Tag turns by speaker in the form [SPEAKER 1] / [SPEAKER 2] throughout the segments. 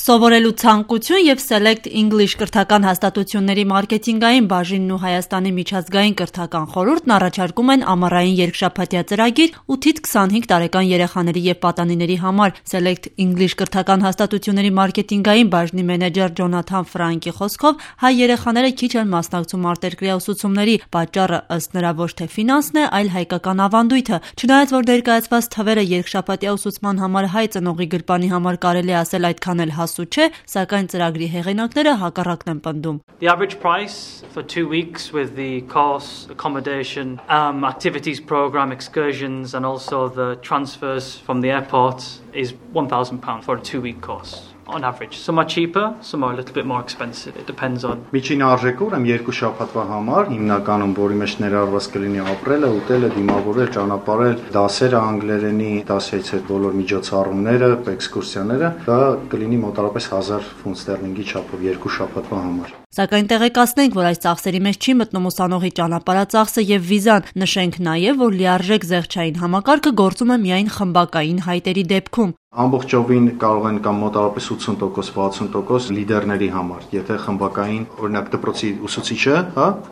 [SPEAKER 1] Սովորելու ցանկություն եւ Select English կրթական հաստատությունների մարքեթինգային բաժինն ու Հայաստանի միջազգային կրթական խորհուրդն առաջարկում են ամառային երկշաբաթյա ծրագիր 8-ից 25 տարեկան երեխաների եւ պատանիների համար։ Select English կրթական հաստատությունների մարքեթինգային բաժնի մենեջեր Ջոնաթան Ֆրանկի խոսքով հայ երեխաները քիչ են մասնակցում արտերկրյա ուսուցումների, պատճառը ըստ նրա ոչ թե ֆինանսն է, այլ հայկական ավանդույթը։ Չնայած որ ներկայացված թվերը երկշաբաթյա ուսուցման համար հայ ծնողի գրպանի համար կարելի ասել այդքան էլ հասու չէ, սակայն ծրագրի հեղինակները հակառակն են պնդում.
[SPEAKER 2] The average price for 2 weeks with the course, accommodation, activities program, excursions and also the transfers from the airport is £1,000 for a 2-week course. On average. Some are cheaper, some are a little bit more expensive. It depends on.
[SPEAKER 3] Միջին արժեքը ուրեմն 2 շաբաթվա համար հիմնականում որի մեջ ներառված կլինի ապրելը, ուտելը, դիմավորել, ճանապարհել, դասերը անգլերենի, դասից հետ բոլոր միջոցառումները, էքսկուրսիաները, դա կլինի մոտավորապես 1000 ֆունտ ստերլինգի չափով 2 շաբաթվա համար։
[SPEAKER 1] Սակայն տեղեկացնենք, որ այս ծախսերի մեջ չի մտնում ուսանողի ճանապարհածախսը եւ վիզան։ Նշենք նաեւ, որ լիարժեք զեղչային համակարգը գործում է միայն խմբակային հայտերի դեպքում։
[SPEAKER 3] Ամբողջովին կարող են կամ մոտավորապես 80%, 60% լիդերների համար։ Եթե խմբակային, օրինակ դպրոցի ուսուցիչը,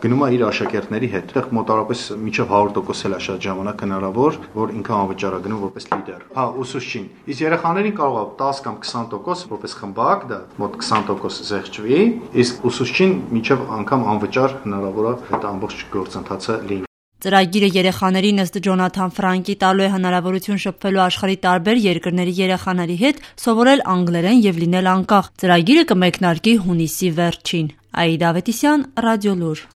[SPEAKER 3] գնում է իր աշակերտների հետ, այդտեղ մոտավորապես մինչև 100% էլ է շատ ժամանակ հնարավոր, որ ինքը անվճար է գնում որպես լիդեր։ Ուսուցչին։ Իսկ երեխաներին կարող է 10 կամ 20% որպես խմբակ, դա մոտ 20% զեղչվի, իսկ ուսուցչին մինչև անգամ անվճար հնարավոր է այդ ամբողջ գործընթացը լինի։
[SPEAKER 1] Ծրագիրը երեխաներին ըստ Ջոնաթան Ֆրանկի տալու է հնարավորություն շփվելու աշխարհի տարբեր երկրների երեխաների հետ, սովորել անգլերեն եւ լինել անկախ։ Ծրագիրը կմեկնարկի հունիսի վերջին։ Աիդա Ավետիսյան, Ռադիոլուր։